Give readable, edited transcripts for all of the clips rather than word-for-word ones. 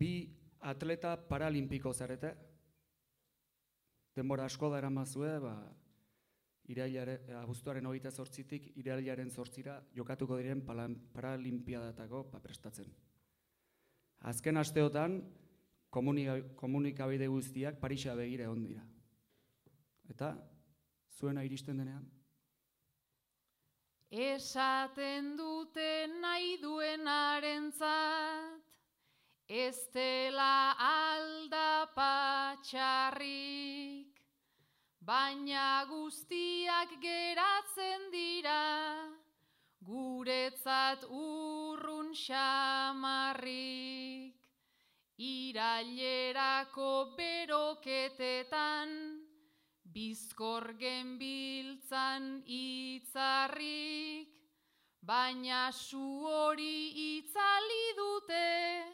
bi atleta paralimpiko zarete, denbora asko da eramazue, abuztuaren 28tik irailaren 8ra jokatuko diren paralimpiadatako prestatzen. Azken asteotan, komunikabide guztiak Parisa begira egon dira. Eta, zuena iristen denean? Esaten dute nahi duenarentzat, ez dela aldapatxarrik, baina guztiak geratzen dira, guretzat urrun xamarrik. Irailerako beroketetan, bizkor genbiltzan itzarrik, baina su hori itzali dute,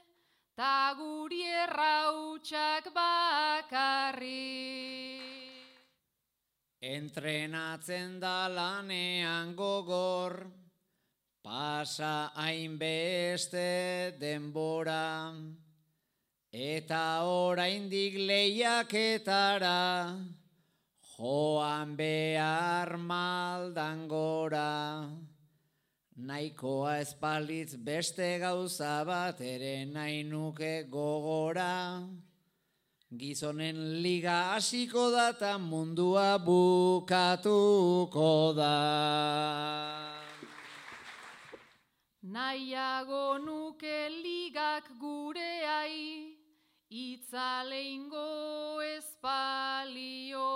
ta guri errautsak bakarrik. Entrenatzen da lanean gogor, pasa hainbeste denbora, eta oraindik lehiaketara, joan behar maldan gora. Nahikoa espalitz beste gauza bat ere nahi nuke gogora. Gizonen liga hasiko da eta mundua bukatuko da. Nahiago nuke ligak gureai, itzaleingo espalio,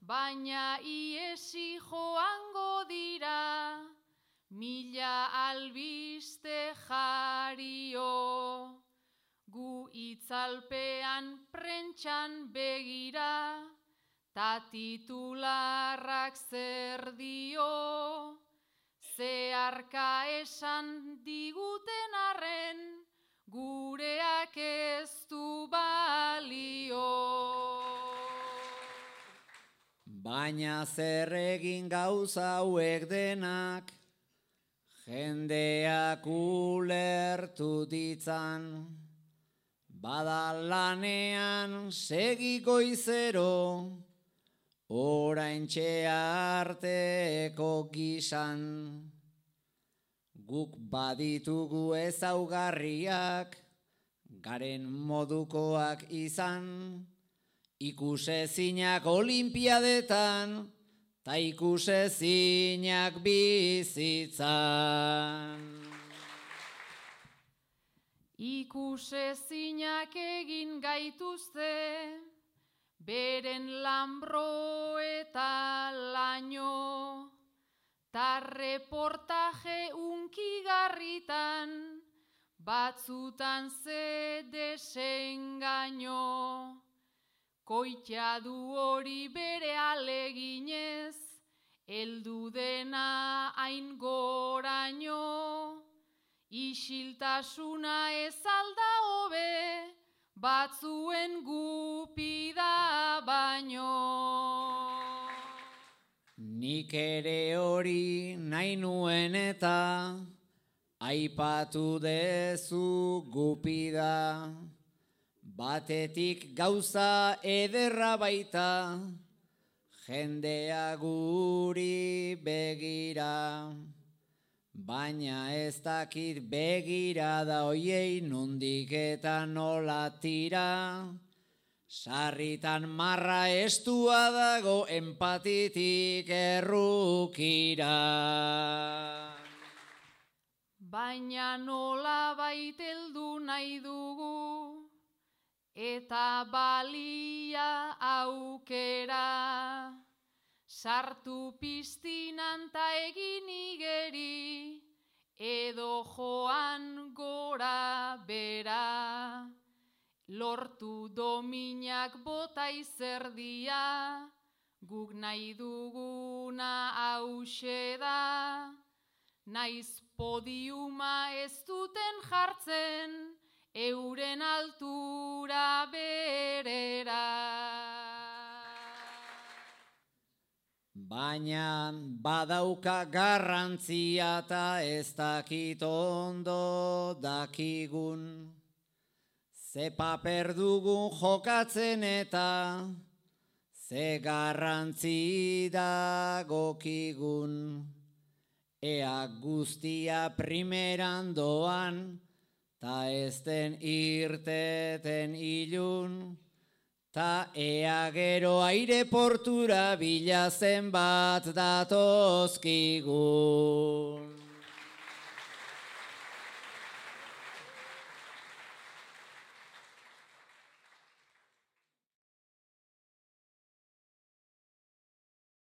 baina iesi joango dira, 1000 albiste jario. Gu itzalpean prentxan begira, ta titularrak zer dio, zeharka esan diguten arren, gureak ez du balio. Baina zer egin gauza hauek denak, jendeak ulertu ditzan, bada lanean segi goizero, oraintxe arteko gizan. Guk baditugu ezaugarriak, garen modukoak izan, ikusezinak olimpiadetan, ta ikusezinak bizitzan. Ikusezinak egin gaituzte, beren lanbro eta laino, ta reportaje unkigarritan, batzutan ze desengaino. Koitea du hori bere aleginez, heldu dena hain goraino. Isiltasuna ez alda hobe, batzuen gupida baino. Nik ere hori nahi nuen eta aipatu dezu gupida. Batetik gauza ederra baita, jendea guri begira. Baina ez dakit begirada hoiei nondik eta nola tira. Sarritan marra estua dago empatitik errukira. Baina nola baiteldu nahi dugu, eta balia aukera. Sartu piztinan ta egin igeri, edo joan gora bera. Lortu dominak bota izerdia, guk nahi duguna hauxe da. Naiz podiuma ez duten jartzen, euren altura berera. Baina badauka garrantzia eta ez dakit ondo dakigun. ze paper dugun jokatzen eta ze garrantzi dagokigun. Ea guztia primeran doan, ta ez den irteten ilun, ta ea gero aireportura bilazen bat datozkigun.